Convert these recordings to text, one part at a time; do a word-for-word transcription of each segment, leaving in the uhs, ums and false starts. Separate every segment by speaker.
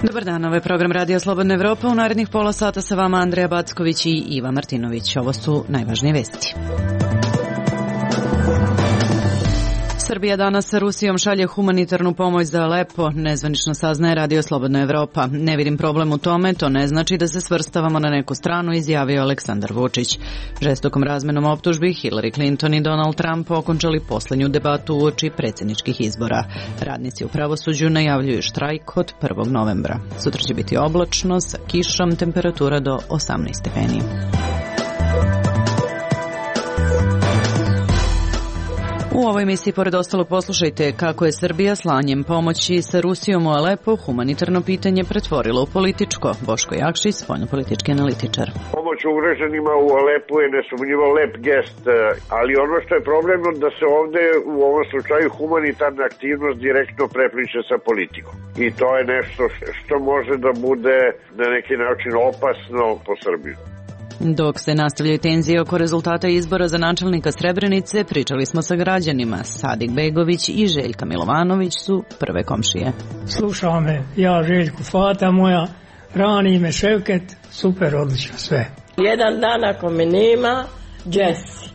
Speaker 1: Dobar dan, ovo je program Radio Slobodna Evropa. U narednih pola sata sa vama Andreja Backović i Iva Martinović. Ovo su najvažnije vesti. Srbija danas sa Rusijom šalje humanitarnu pomoć za Alepo, nezvanično saznaje Radio Slobodna Evropa. Ne vidim problem u tome, to ne znači da se svrstavamo na neku stranu, izjavio Aleksandar Vučić. Žestokom razmenom optužbi Hillary Clinton i Donald Trump okončali poslednju debatu uoči predsjedničkih izbora. Radnici u pravosuđu najavljuju štrajk od prvog novembra. Sutra će biti oblačno, sa kišom, temperatura do osamnaest stepeni. U ovoj emisiji, pored ostalog, poslušajte kako je Srbija slanjem pomoći sa Rusijom u Alepo humanitarno pitanje pretvorilo u političko. Boško Jakšić, spoljnopolitički analitičar.
Speaker 2: Pomoć ugroženima u Alepu je nesumnjivo lep gest, ali ono što je problemno da se ovde u ovom slučaju humanitarna aktivnost direktno prepliče sa politikom. I to je nešto što može da bude na neki način opasno po Srbiju.
Speaker 1: Dok se nastavljaju tenzije oko rezultata izbora za načelnika Srebrenice, pričali smo sa građanima. Sadik Begović i Željka Milovanović su prve komšije.
Speaker 3: Slušao me ja, Željku, fata moja, rani me Ševket, super, odlično sve.
Speaker 4: Jedan dan ako me nema, Jesse.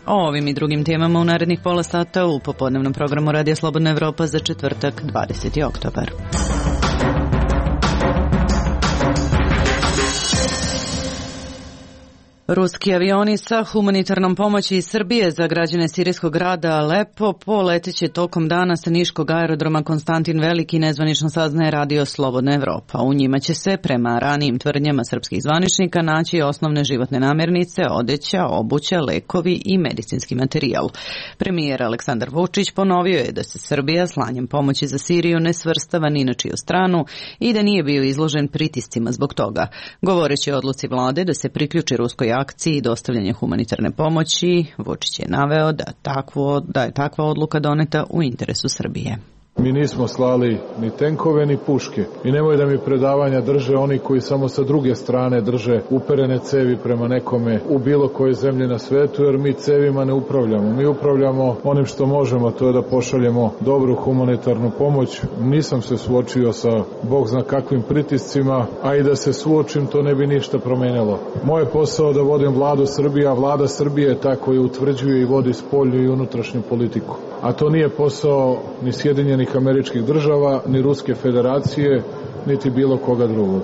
Speaker 1: O ovim i drugim temama u narednih pola sata u popodnevnom programu Radio Slobodna Evropa za četvrtak, dvadeseti oktobar. Ruski avioni sa humanitarnom pomoći iz Srbije za građane sirijskog grada Alepo poleteće tokom dana sa niškog aerodroma Konstantin Veliki, nezvanično saznaje Radio Slobodna Evropa. U njima će se, prema ranijim tvrdnjama srpskih zvaničnika, naći osnovne životne namirnice, odeća, obuća, lekovi i medicinski materijal. Premijer Aleksandar Vučić ponovio je da se Srbija slanjem pomoći za Siriju ne svrstava ni na čiju stranu i da nije bio izložen pritiscima zbog toga. Govoreći o odluci vlade da se priključi ruskoj akciji i dostavljanje humanitarne pomoći, Vučić je naveo da, takvo, da je takva odluka doneta u interesu Srbije.
Speaker 5: Mi nismo slali ni tenkove ni puške i nemoj da mi predavanja drže oni koji samo sa druge strane drže uperene cevi prema nekome u bilo kojoj zemlji na svetu, jer mi cevima ne upravljamo. Mi upravljamo onim što možemo, to je da pošaljemo dobru humanitarnu pomoć. Nisam se suočio sa Bog zna kakvim pritiscima, a i da se suočim to ne bi ništa promenilo. Moje posao da vodim vladu Srbije, a vlada Srbije je ta koja utvrđuje i vodi spoljnu i unutrašnju politiku. A to nije posao ni Sjedinjenih Američkih Država, ni Ruske Federacije, niti bilo koga drugog.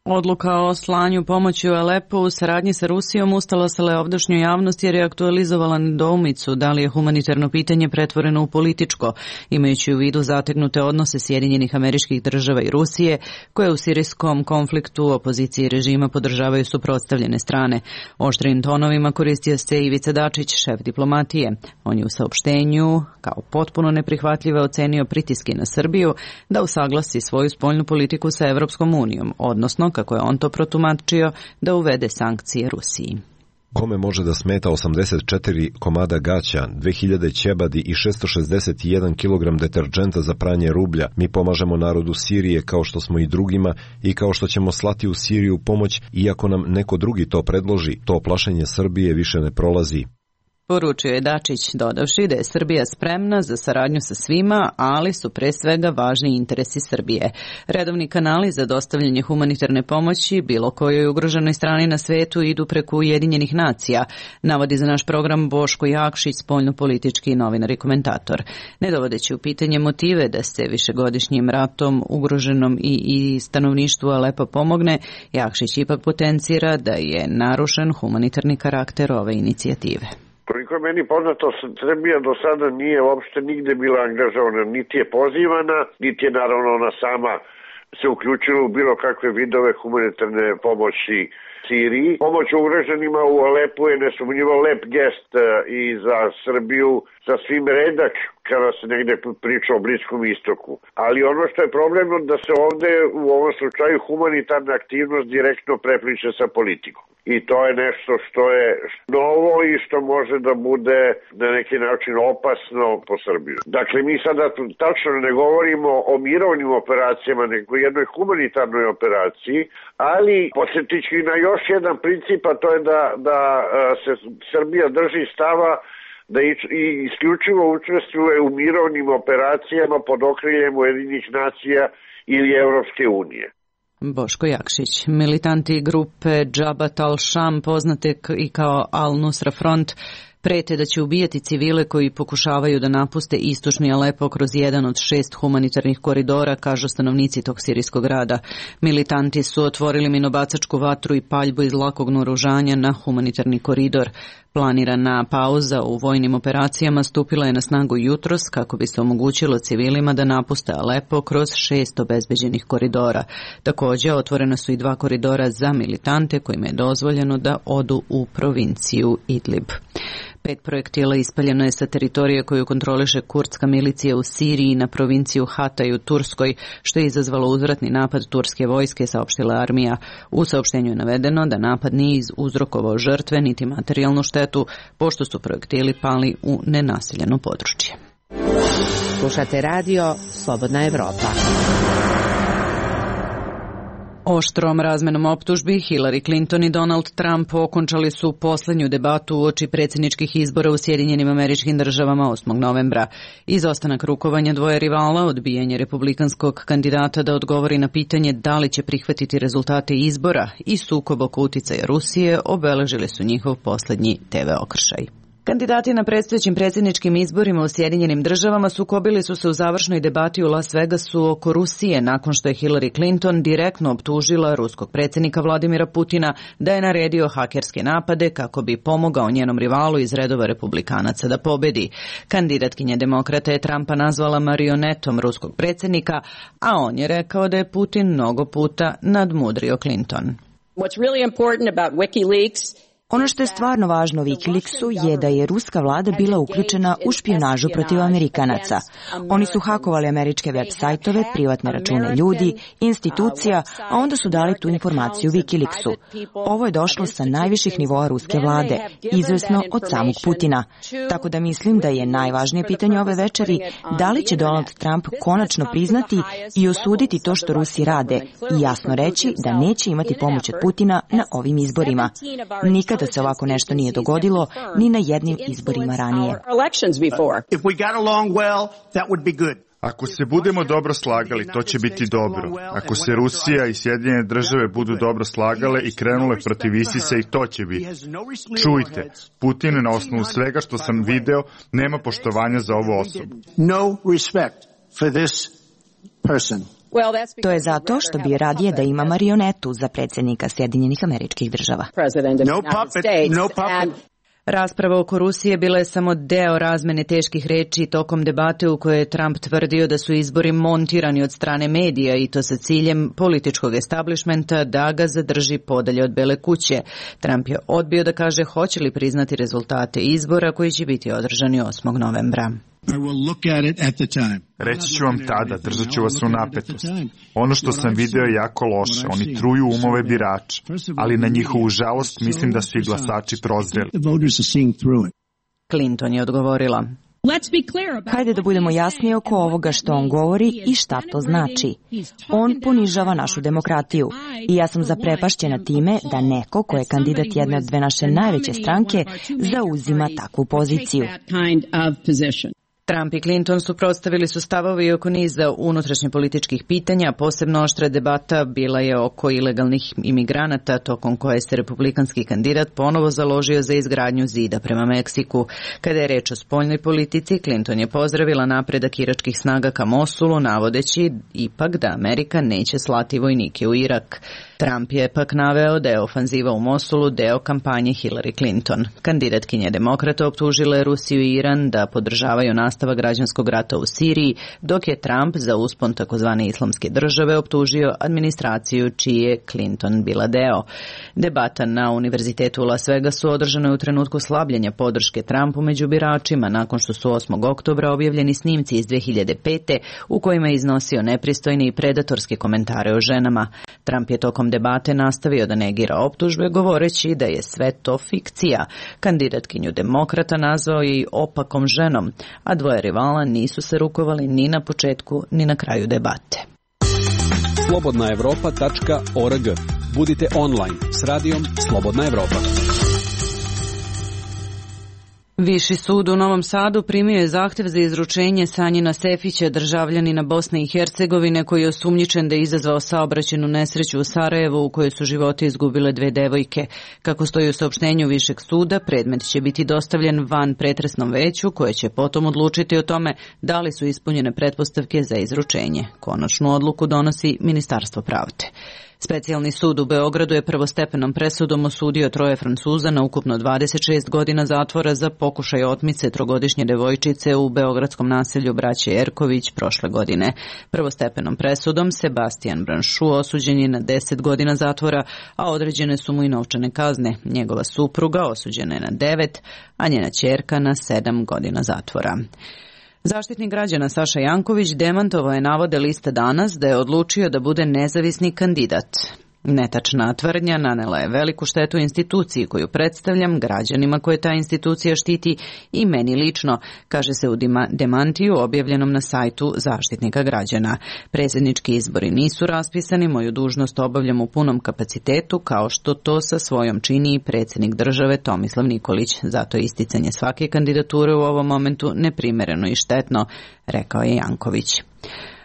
Speaker 1: Odluka o slanju pomoći u Alepo u saradnji sa Rusijom ustala se ovdašnju javnost jer je aktualizovala nedoumicu da li je humanitarno pitanje pretvoreno u političko, imajući u vidu zategnute odnose Sjedinjenih Američkih Država i Rusije, koje u sirijskom konfliktu opozicije režima podržavaju suprotstavljene strane. Oštrim tonovima koristio se Ivica Dačić, šef diplomatije. On je u saopštenju kao potpuno neprihvatljive ocenio pritiske na Srbiju da usaglasi svoju spoljnu politiku sa Evropskom unijom, odnosno, kako je on to protumačio, da uvede sankcije Rusiji.
Speaker 6: Kome može da smeta osamdeset četiri komada gaća, dve hiljade ćebadi i šesto šezdeset jedan kilogram deterdženta za pranje rublja? Mi pomažemo narodu Sirije kao što smo i drugima i kao što ćemo slati u Siriju pomoć, iako nam neko drugi to predloži, to plašenje Srbije više ne prolazi.
Speaker 1: Poručio je Dačić, dodavši da je Srbija spremna za saradnju sa svima, ali su pre svega važni interesi Srbije. Redovni kanali za dostavljanje humanitarne pomoći bilo kojoj ugroženoj strani na svetu idu preko Ujedinjenih nacija, navodi za naš program Boško Jakšić, spoljnopolitički novinar i komentator. Ne dovodeći u pitanje motive da se višegodišnjim ratom ugroženom i, i stanovništvu Alepa pomogne, Jakšić ipak potencira da je narušen humanitarni karakter ove inicijative.
Speaker 2: Koliko je meni poznato, Srbija do sada nije uopšte nigde bila angažovana, niti je pozivana, niti je naravno ona sama se uključila u bilo kakve vidove humanitarne pomoći Siriji. Pomoć ugroženima u Alepu je nesumnjivo lep gest i za Srbiju sasvim redak kada se negde priča o Bliskom istoku. Ali ono što je problemno da se ovde u ovom slučaju humanitarna aktivnost direktno prepliče sa politikom. I to je nešto što je novo i što može da bude na neki način opasno po Srbiju. Dakle, mi sada tačno ne govorimo o mirovnim operacijama, nego jednoj humanitarnoj operaciji, ali podsjetit ću i na još jedan princip, a to je da, da se Srbija drži stava da i isključivo učestvuje u mirovnim operacijama pod okriljem Ujedinjenih nacija ili Evropske unije.
Speaker 1: Boško Jakšić. Militanti grupe Jabhat al-Sham, poznate i kao Al-Nusra Front, prete da će ubijati civile koji pokušavaju da napuste istočni Alepo kroz jedan od šest humanitarnih koridora, kažu stanovnici tog sirijskog grada. Militanti su otvorili minobacačku vatru i paljbu iz lakog naoružanja na humanitarni koridor. Planirana pauza u vojnim operacijama stupila je na snagu jutros kako bi se omogućilo civilima da napuste Alepo kroz šest obezbeđenih koridora. Također, otvorena su i dva koridora za militante kojima je dozvoljeno da odu u provinciju Idlib. Pet projektila ispaljeno je sa teritorije koju kontroliše kurdska milicija u Siriji na provinciju Hatay u Turskoj, što je izazvalo uzvratni napad turske vojske, saopštila armija. U saopštenju je navedeno da napad nije uzrokovao žrtve niti materijalnu štetu, pošto su projektili pali u nenaseljeno područje.
Speaker 7: Slušate radio Slobodna Evropa.
Speaker 1: Oštrom razmenom optužbi Hillary Clinton i Donald Trump okončali su poslednju debatu uoči predsjedničkih izbora u Sjedinjenim Američkim Državama osmog novembra. Izostanak rukovanja dvoje rivala, odbijanje republikanskog kandidata da odgovori na pitanje da li će prihvatiti rezultate izbora i sukob oko uticaja Rusije obeležili su njihov poslednji te ve okršaj. Kandidati na predstojećim predsjedničkim izborima u Sjedinjenim Državama sukobili su se u završnoj debati u Las Vegasu oko Rusije nakon što je Hillary Clinton direktno optužila ruskog predsjednika Vladimira Putina da je naredio hakerske napade kako bi pomogao njenom rivalu iz redova republikanaca da pobedi. Kandidatkinja demokrata je Trumpa nazvala marionetom ruskog predsjednika, a on je rekao da je Putin mnogo puta nadmudrio Clinton.
Speaker 4: What's really important about WikiLeaks.
Speaker 8: Ono što je stvarno važno u WikiLeaksu je da je ruska vlada bila uključena u špijunažu protiv Amerikanaca. Oni su hakovali američke web sajtove, privatne račune ljudi, institucija, a onda su dali tu informaciju WikiLeaksu. Ovo je došlo sa najviših nivoa ruske vlade, izvesno od samog Putina. Tako da mislim da je najvažnije pitanje ove večeri da li će Donald Trump konačno priznati i osuditi to što Rusi rade i jasno reći da neće imati pomoć od Putina na ovim izborima. Nikad da se ovako nešto nije dogodilo ni na jednim izborima ranije.
Speaker 9: Ako se budemo dobro slagali, to će biti dobro. Ako se Rusija i Sjedinjene Države budu dobro slagale i krenule protiv ISIS-a, i to će biti. Čujte, Putin na osnovu svega što sam video nema poštovanja za ovu osobu.
Speaker 8: No respect for this person. To je zato što bi radije da ima marionetu za predsjednika Sjedinjenih Američkih Država.
Speaker 4: No puppet, no puppet.
Speaker 1: Rasprava oko Rusije bila je samo deo razmene teških reči tokom debate u kojoj je Trump tvrdio da su izbori montirani od strane medija i to sa ciljem političkog establishmenta da ga zadrži podalje od Bele kuće. Trump je odbio da kaže hoće li priznati rezultate izbora koji će biti održani osmog novembra.
Speaker 9: Reći ću vam tada, držat ću vas u napetost. Ono što sam video je jako loše, oni truju umove birača, ali na njihovu žalost mislim da su i glasači prozreli.
Speaker 1: Clinton je odgovorila.
Speaker 8: Hajde da budemo jasni oko ovoga što on govori i šta to znači. On ponižava našu demokratiju i ja sam zaprepašćena time da neko ko je kandidat jedne od dve naše najveće stranke zauzima takvu poziciju.
Speaker 1: Trump i Clinton suprotstavili su stavovi oko niza unutrašnje političkih pitanja, posebno oštra debata bila je oko ilegalnih imigranata, tokom koje se republikanski kandidat ponovo založio za izgradnju zida prema Meksiku. Kada je reč o spoljnoj politici, Clinton je pozdravila napredak iračkih snaga ka Mosulu, navodeći ipak da Amerika neće slati vojnike u Irak. Trump je pak naveo da je ofanziva u Mosulu deo kampanje Hillary Clinton. Kandidatkinja demokrata optužila je Rusiju i Iran da podržavaju nastavak građanskog rata u Siriji, dok je Trump za uspon takozvane islamske države optužio administraciju čiji je Clinton bila deo. Debata na Univerzitetu u Las Vegasu održana je u trenutku slabljenja podrške Trumpu među biračima nakon što su osmog oktobra objavljeni snimci iz dve hiljade pete u kojima je iznosio nepristojne i predatorske komentare o ženama. Trump je tokom debate nastavio da negira optužbe, govoreći da je sve to fikcija. Kandidatkinju demokrata nazvao je i opakom ženom, a dvoje rivala nisu se rukovali ni na početku ni na kraju debate.
Speaker 10: slobodna evropa tačka org. Budite online s radijom Slobodna Evropa.
Speaker 1: Viši sud u Novom Sadu primio je zahtev za izručenje Sanjina Sefića, državljanina Bosne i Hercegovine, koji je osumnjičen da je izazvao saobraćajnu nesreću u Sarajevu u kojoj su živote izgubile dve devojke. Kako stoji u saopštenju Višeg suda, predmet će biti dostavljen van pretresnom veću koje će potom odlučiti o tome da li su ispunjene pretpostavke za izručenje. Konačnu odluku donosi Ministarstvo pravde. Specijalni sud u Beogradu je prvostepenom presudom osudio troje Francuza na ukupno dvadeset šest godina zatvora za pokušaj otmice trogodišnje devojčice u beogradskom naselju braće Erković prošle godine. Prvostepenom presudom Sebastian Branšu osuđen je na deset godina zatvora, a određene su mu i novčane kazne. Njegova supruga osuđena je na devet, a njena ćerka na sedam godina zatvora. Zaštitnik građana Saša Janković demantovao je navode Liste Danas da je odlučio da bude nezavisni kandidat. Netačna tvrdnja nanela je veliku štetu instituciji koju predstavljam, građanima koje ta institucija štiti i meni lično, kaže se u demantiju objavljenom na sajtu Zaštitnika građana. Predsjednički izbori nisu raspisani, moju dužnost obavljam u punom kapacitetu, kao što to sa svojom čini i predsjednik države Tomislav Nikolić. Zato je isticanje svake kandidature u ovom momentu neprimereno i štetno, rekao je Janković.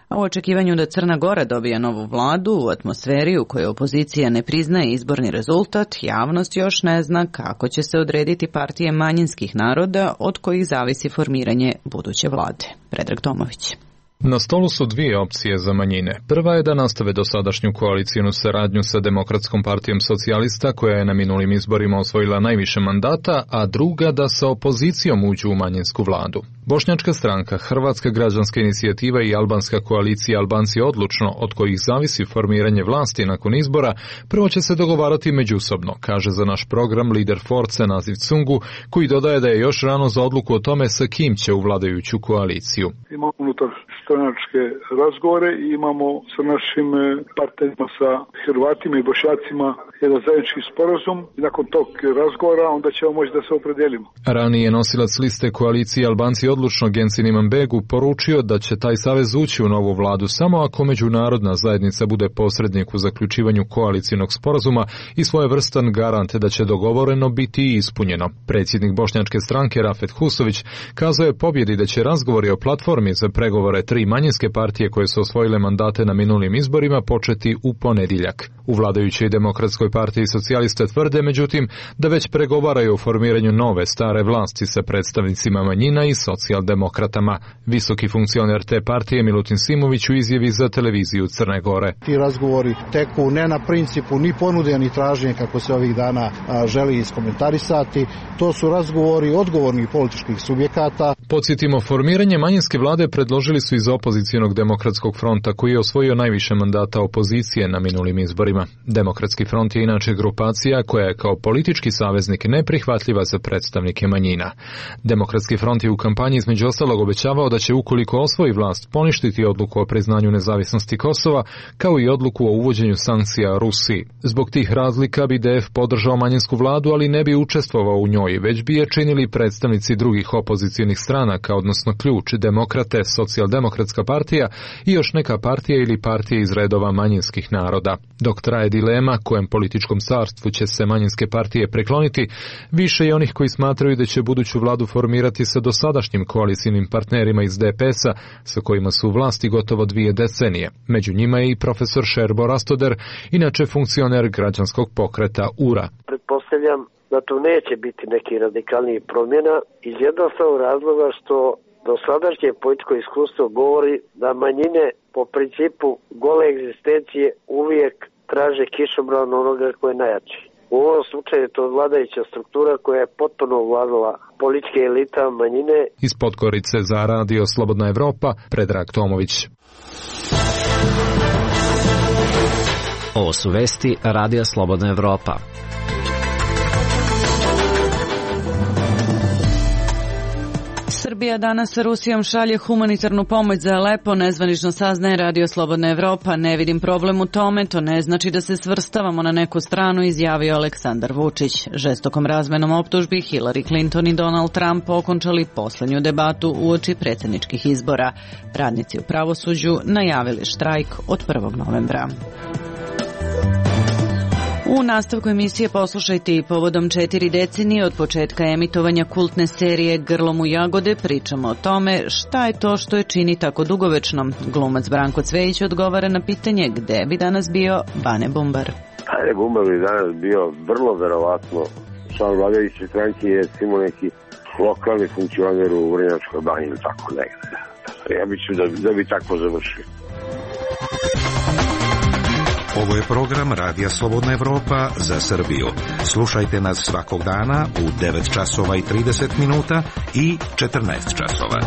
Speaker 1: A u očekivanju da Crna Gora dobije novu vladu u atmosferi u kojoj opozicija ne priznaje izborni rezultat, javnost još ne zna kako će se odrediti partije manjinskih naroda od kojih zavisi formiranje buduće vlade. Predrag Tomović.
Speaker 11: Na stolu su dvije opcije za manjine. Prva je da nastave dosadašnju koalicijnu saradnju sa Demokratskom partijom socijalista, koja je na minulim izborima osvojila najviše mandata, a druga da sa opozicijom uđu u manjinsku vladu. Bošnjačka stranka, Hrvatska građanska inicijativa i albanska koalicija Albanci odlučno, od kojih zavisi formiranje vlasti nakon izbora, prvo će se dogovarati međusobno, kaže za naš program lider Force Naziv Cungu, koji dodaje da je još rano za odluku o tome sa kim će u vladajuću koaliciju.
Speaker 12: Imamo unutar stranačke razgovore i imamo sa našim partnerima, sa Hrvatima i Bošnjacima, jedan zajednički sporazum i nakon tog razgovora onda ćemo moći da se opredelimo.
Speaker 11: Ranije nosilac liste koalicije Albanci odlučno Gensin Imanbegu poručio da će taj savez ući u novu vladu samo ako međunarodna zajednica bude posrednik u zaključivanju koalicijnog sporazuma i svojevrstan garant da će dogovoreno biti ispunjeno. Predsjednik bošnjačke stranke Rafet Husović kazao je pobjedi da će razgovori o platformi za pregovore tri manjinske partije koje su osvojile mandate na minulim izborima početi u ponedjeljak. U vladajućoj Demokratskoj partiji socijaliste tvrde, međutim, da već pregovaraju o formiranju nove stare vlasti sa predstavnicima manjina i socijaldemokratama. Visoki funkcioner te partije Milutin Simović u izjavi za televiziju Crne Gore.
Speaker 13: Ti razgovori teku ne na principu ni ponude ni traženja kako se ovih dana a, želi iskomentarisati. To su razgovori odgovornih političkih subjekata.
Speaker 11: Podsjetimo, formiranje manjinske vlade predložili su iz opozicionog Demokratskog fronta koji je osvojio najviše mandata opozicije na minulim izborima. Demokratski front je inače grupacija koja je kao politički saveznik neprihvatljiva za predstavnike manjina. Demokratski front je u kampanji između ostalog obećavao da će ukoliko osvoji vlast poništiti odluku o priznanju nezavisnosti Kosova kao i odluku o uvođenju sankcija Rusiji. Zbog tih razlika bi D F podržao manjinsku vladu, ali ne bi učestvovao u njoj, već bi je činili predstavnici drugih opozicionih stranaka, odnosno Ključ, Demokrate, Socijaldemokratska partija i još neka partija ili partije iz redova manjinskih naroda. Dok traje dilema kojem političkom carstvu će se manjinske partije prekloniti, više je onih koji smatraju da će buduću vladu formirati sa dosadašnjim koalicijnim partnerima iz D P S-a, sa kojima su u vlasti gotovo dvije decenije. Među njima je i profesor Šerbo Rastoder, inače funkcioner građanskog pokreta U R A.
Speaker 14: Pretpostavljam da tu neće biti neki radikalniji promjena iz jednostavnog razloga što dosadašnje političko iskustvo govori da manjine po principu gole egzistencije uvijek traže kišobran onoga koji je najjači. U ovom slučaju je to vladajuća struktura koja je potpuno ovladala političke elita manjine.
Speaker 11: Iz Podgorice za Radio Slobodna Evropa, Predrag Tomović.
Speaker 15: Ovo su vesti Radija Slobodna Evropa.
Speaker 1: Srbija danas sa Rusijom šalje humanitarnu pomoć za Alepo, nezvanično saznaje Radio Slobodna Evropa. Ne vidim problem u tome, to ne znači da se svrstavamo na neku stranu, izjavio Aleksandar Vučić. Žestokom razmenom optužbi Hillary Clinton i Donald Trump okončali poslednju debatu uoči predsjedničkih izbora. Radnici u pravosuđu najavili štrajk od prvog novembra. U nastavku emisije poslušajte i povodom četiri decenije od početka emitovanja kultne serije Grlom u jagode pričamo o tome šta je to što je čini tako dugovečno. Glumac Branko Cvejić odgovara na pitanje gde bi danas bio Bane Bumbar.
Speaker 16: Bane Bumbar bi danas bio vrlo verovatno član vladajuće stranke, je recimo neki lokalni funkcioner u Vrnjačkoj banji ili tako negde. Ja mislim da, da bi tako završio.
Speaker 17: Ovo je program Radija Slobodna Evropa za Srbiju. Slušajte nas svakog dana u devet časova i trideset minuta i četrnaest časova.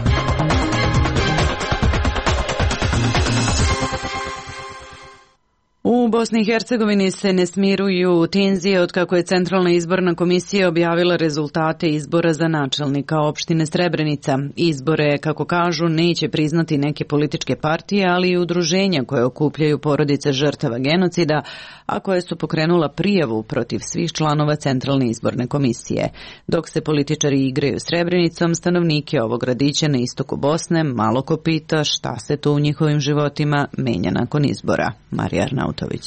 Speaker 1: U Bosni i Hercegovini se ne smiruju tenzije otkako je Centralna izborna komisija objavila rezultate izbora za načelnika opštine Srebrenica. Izbore, kako kažu, neće priznati neke političke partije, ali i udruženja koje okupljaju porodice žrtava genocida, a koje su pokrenula prijavu protiv svih članova Centralne izborne komisije. Dok se političari igraju Srebrenicom, stanovnike ovog gradića na istoku Bosne malo ko pita šta se to u njihovim životima menja nakon izbora. Marija Arnautović.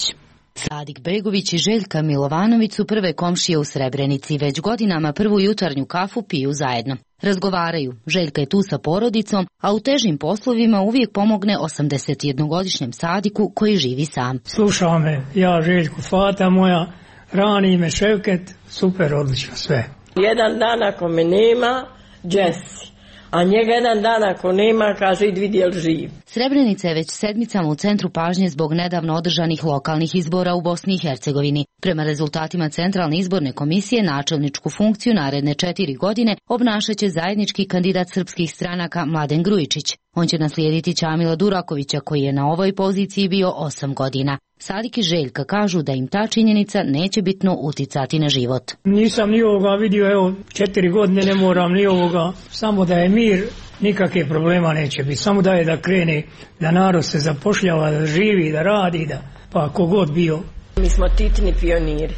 Speaker 18: Sadik Begović i Željka Milovanović su prve komšije u Srebrenici. Već godinama prvu jutarnju kafu piju zajedno. Razgovaraju. Željka je tu sa porodicom, a u težim poslovima uvijek pomogne osamdesetjednogodišnjem Sadiku koji živi sam.
Speaker 3: Slušao me, ja Željku, fata moja, rani me Ševket, super, odlično, sve.
Speaker 4: Jedan dan ako me nema, Jesse. A njega jedan dan ako nema, kaže idi vidi jel živ.
Speaker 18: Srebrenica je već sedmicama u centru pažnje zbog nedavno održanih lokalnih izbora u Bosni i Hercegovini. Prema rezultatima Centralne izborne komisije načelničku funkciju naredne četiri godine obnašaće zajednički kandidat srpskih stranaka Mladen Grujičić. On će naslijediti Čamila Durakovića koji je na ovoj poziciji bio osam godina. Sadik i Željka kažu da im ta činjenica neće bitno uticati na život.
Speaker 3: Nisam ni ovoga vidio, evo četiri godine ne moram ni ovoga, samo da je mir, nikakve problema neće biti, samo da je da krene, da narod se zapošljava, da živi, da radi, da pa kogod bio.
Speaker 4: Mi smo titni pioniri,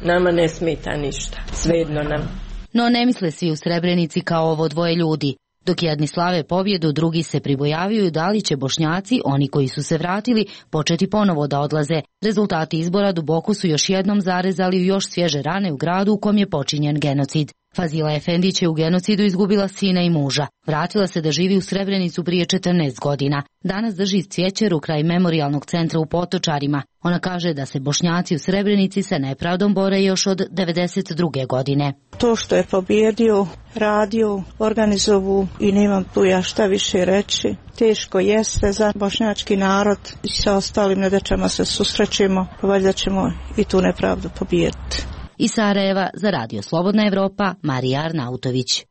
Speaker 4: nama ne smeta ništa, svejedno nam.
Speaker 18: No ne misle svi u Srebrenici kao ovo dvoje ljudi. Dok jedni slave pobjedu, drugi se pribojavaju da li će Bošnjaci, oni koji su se vratili, početi ponovo da odlaze. Rezultati izbora duboko su još jednom zarezali u još svježe rane u gradu u kom je počinjen genocid. Fazila Efendić je u genocidu izgubila sina i muža. Vratila se da živi u Srebrenicu prije četrnaest godina. Danas drži cvjećeru kraj memorijalnog centra u Potočarima. Ona kaže da se Bošnjaci u Srebrenici sa nepravdom bore još od devedeset druge godine.
Speaker 19: To što je pobjedio, radio, organizovu i nemam tu ja šta više reći. Teško jeste za bošnjački narod i sa ostalim nedaćama se susrećemo, pa valjda ćemo i tu nepravdu pobijediti.
Speaker 18: Iz Sarajeva za Radio Slobodna Evropa, Marija Arnautović.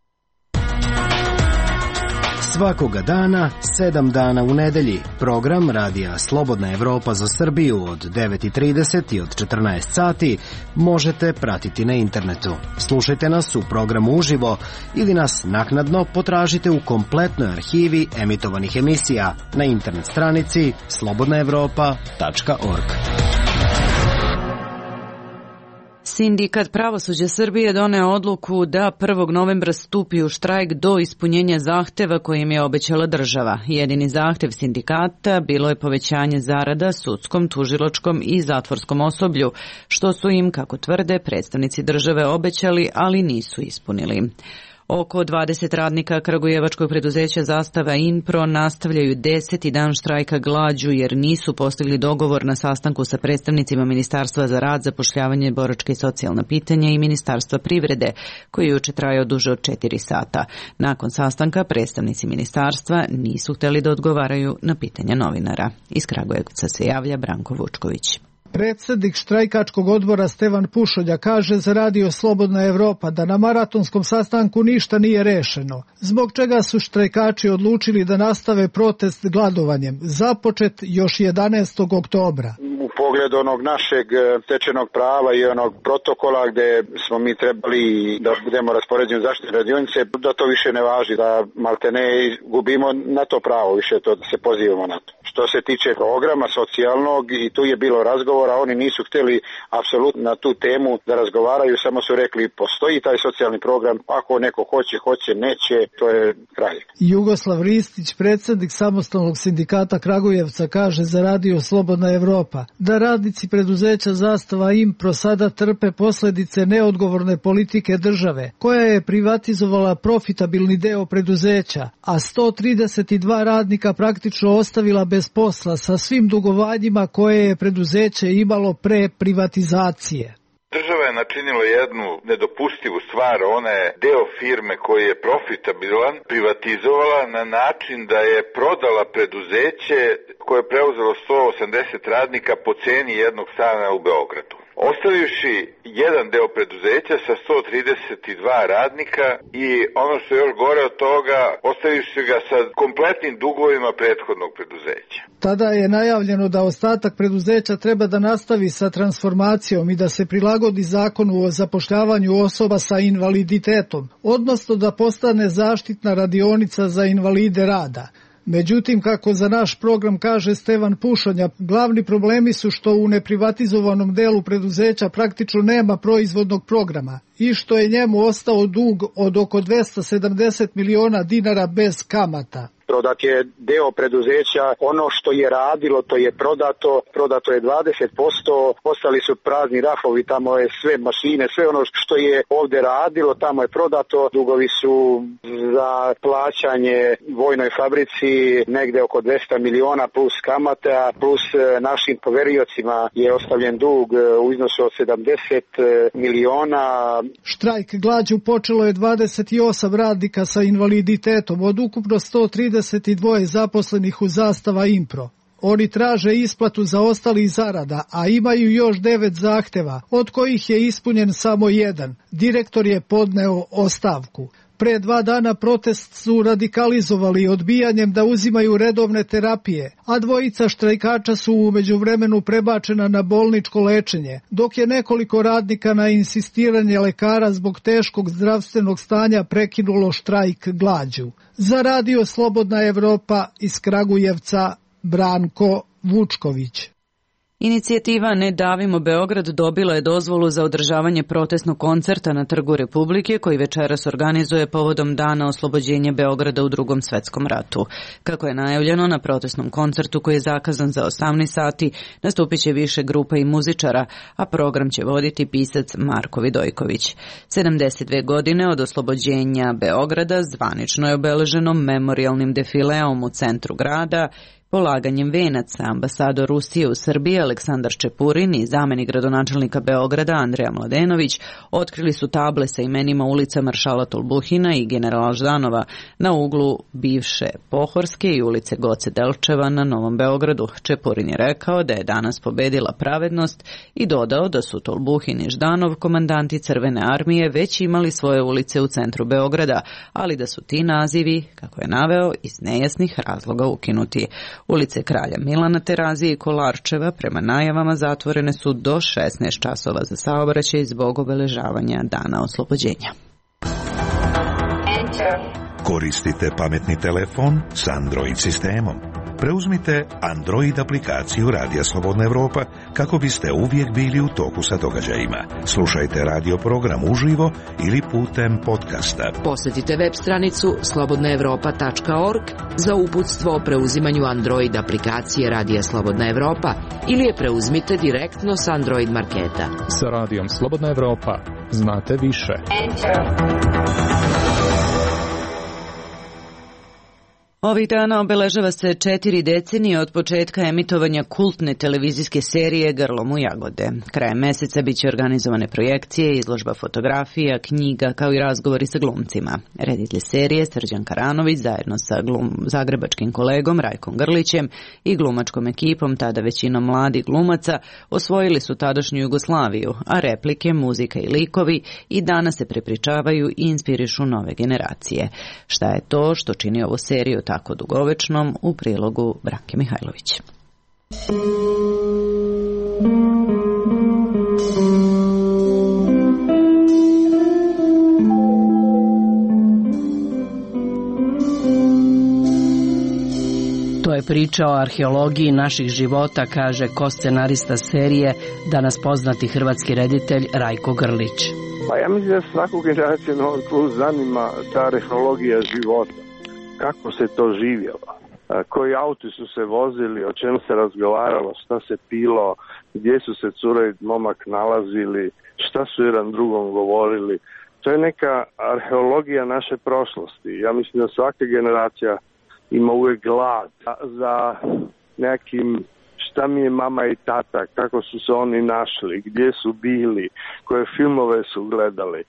Speaker 20: Svakoga dana, sedam dana u nedelji, program Radija Slobodna Evropa za Srbiju od devet i trideset i od četrnaest sati možete pratiti na internetu. Slušajte nas u programu uživo ili nas naknadno potražite u kompletnoj arhivi emitovanih emisija na internet stranici slobodna evropa tačka org.
Speaker 1: Sindikat pravosuđa Srbije doneo odluku da prvog novembra stupi u štrajk do ispunjenja zahteva kojim je obećala država. Jedini zahtev sindikata bilo je povećanje zarada sudskom, tužilačkom i zatvorskom osoblju, što su im, kako tvrde, predstavnici države obećali, ali nisu ispunili. Oko dvadeset radnika kragujevačkog preduzeća Zastava Inpro nastavljaju deseti dan štrajka glađu jer nisu postigli dogovor na sastanku sa predstavnicima Ministarstva za rad, zapošljavanje, boračka i socijalna pitanja i Ministarstva privrede, koji je juče trajao duže od četiri sata. Nakon sastanka predstavnici ministarstva nisu htjeli da odgovaraju na pitanja novinara. Iz Kragujevca se javlja Branko Vučković.
Speaker 21: Predsjednik štrajkačkog odbora Stevan Pušolja kaže za Radio Slobodna Evropa da na maratonskom sastanku ništa nije rešeno, zbog čega su štrajkači odlučili da nastave protest gladovanjem, započet još jedanaestog oktobra.
Speaker 22: U pogledu onog našeg stečenog prava i onog protokola gdje smo mi trebali da budemo raspoređeni u zaštitne radionice, da to više ne važi, da maltene gubimo na to pravo, više to se pozivamo na to. Što se tiče programa socijalnog, i tu je bilo razgovora, oni nisu htjeli apsolutno na tu temu da razgovaraju, samo su rekli postoji taj socijalni program, ako neko hoće, hoće, neće, to je kraj.
Speaker 21: Jugoslav Ristić, predsjednik samostalnog sindikata Kragujevca, kaže za Radio Slobodna Evropa da radnici preduzeća Zastava Impro sada trpe posljedice neodgovorne politike države, koja je privatizovala profitabilni deo preduzeća, a sto trideset dva radnika praktično ostavila bez posla sa svim dugovanjima koje je preduzeće imalo pre privatizacije.
Speaker 5: Država je načinila jednu nedopustivu stvar, ona je deo firme koji je profitabilan privatizovala na način da je prodala preduzeće koje je preuzelo sto osamdeset radnika po ceni jednog stana u Beogradu. Ostavivši jedan deo preduzeća sa sto trideset dva radnika i ono što je još gore od toga, ostavivši ga sa kompletnim dugovima prethodnog preduzeća.
Speaker 21: Tada je najavljeno da ostatak preduzeća treba da nastavi sa transformacijom i da se prilagodi zakonu o zapošljavanju osoba sa invaliditetom, odnosno da postane zaštitna radionica za invalide rada. Međutim, kako za naš program kaže Stevan Pušonja, glavni problemi su što u neprivatizovanom delu preduzeća praktično nema proizvodnog programa i što je njemu ostao dug od oko dvesta sedamdeset miliona dinara bez kamata.
Speaker 22: Prodat je deo preduzeća, ono što je radilo to je prodato, prodato je dvadeset posto, ostali su prazni rafovi, tamo je sve mašine, sve ono što je ovdje radilo, tamo je prodato, dugovi su za plaćanje vojnoj fabrici negde oko dvesta miliona plus kamata, plus našim poveriocima je ostavljen dug u iznosu od sedamdeset miliona.
Speaker 21: Štrajk glađu počelo je dvadeset osam radnika sa invaliditetom od ukupno sto trideset dva zaposlenih u Zastava Impro. Oni traže isplatu zaostalih zarada, a imaju još devet zahteva, od kojih je ispunjen samo jedan. Direktor je podneo ostavku. Pre dva dana protest su radikalizovali odbijanjem da uzimaju redovne terapije, a dvojica štrajkača su u međuvremenu prebačena na bolničko lečenje, dok je nekoliko radnika na insistiranje lekara zbog teškog zdravstvenog stanja prekinulo štrajk glađu. Za Radio Slobodna Evropa iz Kragujevca, Branko Vučković.
Speaker 1: Inicijativa Ne davimo Beograd dobila je dozvolu za održavanje protestnog koncerta na Trgu Republike koji večeras organizuje povodom Dana oslobođenja Beograda u Drugom svetskom ratu. Kako je najavljeno, na protestnom koncertu koji je zakazan za osamnaest sati nastupit će više grupa i muzičara, a program će voditi pisac Marko Vidojković. sedamdeset dve godine od oslobođenja Beograda zvanično je obeleženo memorijalnim defileom u centru grada, polaganjem venaca. Ambasador Rusije u Srbiji Aleksandar Čepurin i zamenik gradonačelnika Beograda Andreja Mladenović otkrili su table sa imenima ulica Maršala Tolbuhina i generala Ždanova na uglu bivše Pohorske i ulice Goce Delčeva na Novom Beogradu. Čepurin je rekao da je danas pobedila pravednost i dodao da su Tolbuhin i Ždanov, komandanti Crvene armije, već imali svoje ulice u centru Beograda, ali da su ti nazivi, kako je naveo, iz nejasnih razloga ukinuti. Ulice Kralja Milana Terazije i Kolarčeva prema najavama zatvorene su do šesnaest časova za saobraćaj zbog obeležavanja Dana oslobođenja.
Speaker 17: Koristite pametni telefon s Android sistemom. Preuzmite Android aplikaciju Radija Slobodna Evropa kako biste uvijek bili u toku sa događajima. Slušajte radio program uživo ili putem podcasta.
Speaker 7: Posjetite web stranicu slobodna evropa tačka org za uputstvo o preuzimanju Android aplikacije Radija Slobodna Evropa ili je preuzmite direktno s Android marketa.
Speaker 11: Sa Radijom Slobodna Evropa znate više.
Speaker 1: Ovih dana obeležava se četiri decenije od početka emitovanja kultne televizijske serije Grlom u jagode. Krajem meseca biće organizovane projekcije, izložba fotografija, knjiga, kao i razgovori sa glumcima. Reditelj serije Srđan Karanović zajedno sa glum, zagrebačkim kolegom Rajkom Grlićem i glumačkom ekipom, tada većinom mladih glumaca, osvojili su tadašnju Jugoslaviju, a replike, muzika i likovi i danas se prepričavaju i inspirišu nove generacije. Šta je to što čini ovu seriju tako dugovečnom, u prilogu Branke Mihajlović.
Speaker 6: To je priča o arheologiji naših života, kaže ko-scenarista serije, danas poznati hrvatski reditelj Rajko Grlić.
Speaker 23: Pa ja mislim da svaku generaciju Novog Plus zanima ta arheologija života. Kako se to živjelo, koji auti su se vozili, o čemu se razgovaralo, šta se pilo, gdje su se cura i momak nalazili, šta su jedan drugom govorili. To je neka arheologija naše prošlosti. Ja mislim da svaka generacija ima uvek glad za nekim šta mi je mama i tata, kako su se oni našli, gdje su bili, koje filmove su gledali.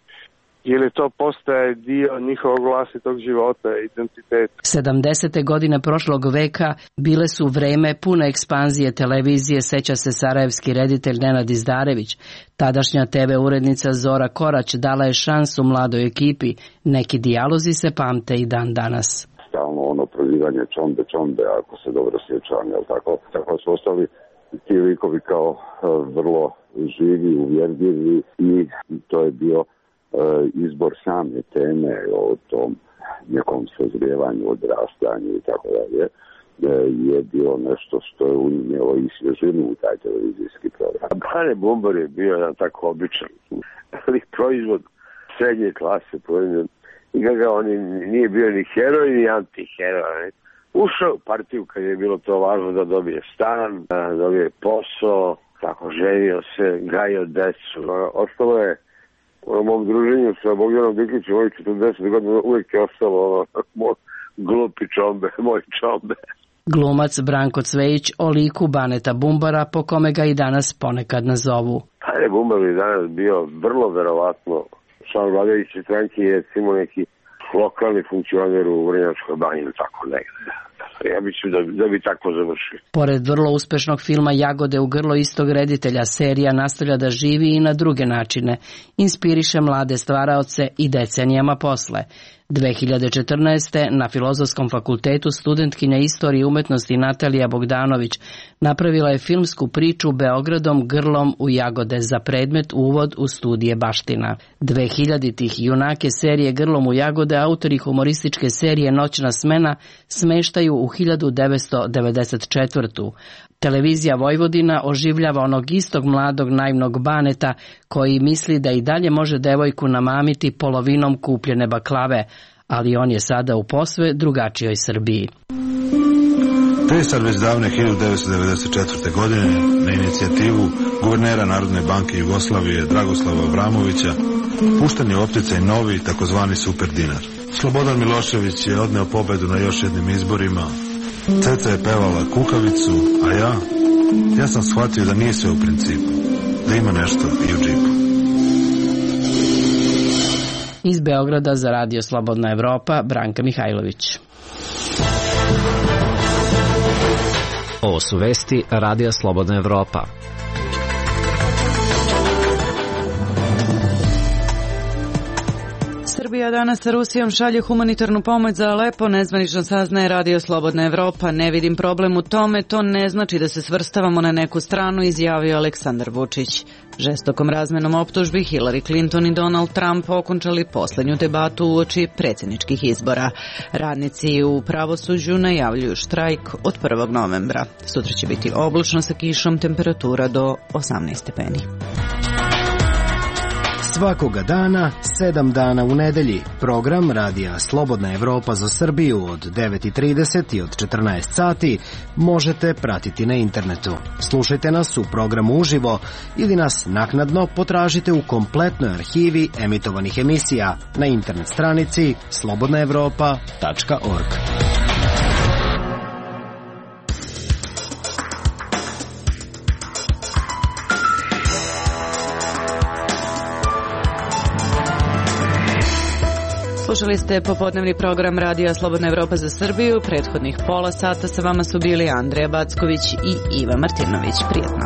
Speaker 23: Ili to postaje dio njihovog vlastitog života, identiteta.
Speaker 6: sedamdesete godine prošlog veka bile su vreme pune ekspanzije televizije, seća se sarajevski reditelj Nenad Izdarević. Tadašnja te ve urednica Zora Korać dala je šansu mladoj ekipi. Neki dijalozi se pamte i dan danas.
Speaker 16: Stalno ono prozivanje čombe, čombe, ako se dobro sjećam, jel tako? Tako su ostali ti likovi kao uh, vrlo živi, uvjerljivi i to je bio izbor same teme o tom nekom sazrijevanju, odrastanju i tako dalje, je bilo nešto što je unijelo i svježinu u taj televizijski program. Bane Bumbar je bio jedan tako običan, ali proizvod srednje klase, proizvod, i ga on nije bio ni heroj ni antiheroj. Ušao u partiju kad je bilo to važno da dobije stan, da dobije posao, tako ženio se, gajio decu. Ostalo je u mom druženju sa Bogdanom Diklićem, ovih četrdeset godina, uvijek je ostalo ono, moj glupi čombe, moj čombe.
Speaker 6: Glumac Branko Cvejić o liku Baneta Bumbara, po kome ga i danas ponekad nazovu.
Speaker 16: Bane Bumbar je danas bio vrlo verovatno član vladajuće stranke, je recimo neki lokalni funkcioner u Vrnjačkoj banji ili tako negde. Ja mislim da, da bi tako završio.
Speaker 6: Pored vrlo uspešnog filma Jagode u grlo istog reditelja, serija nastavlja da živi i na druge načine. Inspiriše mlade stvaraoce i decenijama posle. dve hiljade četrnaeste. na Filozofskom fakultetu studentkinja istorije i umetnosti Natalija Bogdanović napravila je filmsku priču Beogradom grlom u Jagode za predmet Uvod u studije baština. dvehiljaditih junake serije Grlom u Jagode autori humorističke serije Noćna smena smeštaju u hiljadu devetsto devedeset četvrtu. Televizija Vojvodina oživljava onog istog mladog naivnog Baneta koji misli da i dalje može devojku namamiti polovinom kupljene baklave, ali on je sada u posve drugačijoj Srbiji.
Speaker 2: To je sad već davne hiljadu devetsto devedeset četvrte. godine na inicijativu guvernera Narodne banke Jugoslavije Dragoslava Avramovića pušten je u opticaj novi takozvani super dinar. Slobodan Milošević je odneo pobedu na još jednim izborima. Ceca je pevala kukavicu, a ja, ja sam shvatio da nije sve u principu, da ima nešto i u džipu.
Speaker 6: Iz Beograda za Radio Slobodna Evropa, Branka Mihajlović.
Speaker 15: Ovo su vesti Radija Slobodna Evropa.
Speaker 1: Srbija danas sa Rusijom šalje humanitarnu pomoć za Alepo, nezvanično saznaje Radio Slobodna Evropa. Ne vidim problem u tome, to ne znači da se svrstavamo na neku stranu, izjavio Aleksandar Vučić. Žestokom razmenom optužbi Hillary Clinton i Donald Trump okončali poslednju debatu uoči predsjedničkih izbora. Radnici u pravosuđu najavljuju štrajk od prvog novembra. Sutra će biti oblačno sa kišom, temperatura do osamnaest stepeni.
Speaker 20: Svakoga dana, sedam dana u nedelji. Program Radija Slobodna Evropa za Srbiju od devet i trideset i od četrnaest sati možete pratiti na internetu. Slušajte nas u programu uživo ili nas naknadno potražite u kompletnoj arhivi emitovanih emisija na internet stranici slobodna evropa tačka org.
Speaker 1: Slušali ste popodnevni program Radija Slobodna Evropa za Srbiju. Prethodnih pola sata sa vama su bili Andreja Backović i Iva Martinović. Prijetno.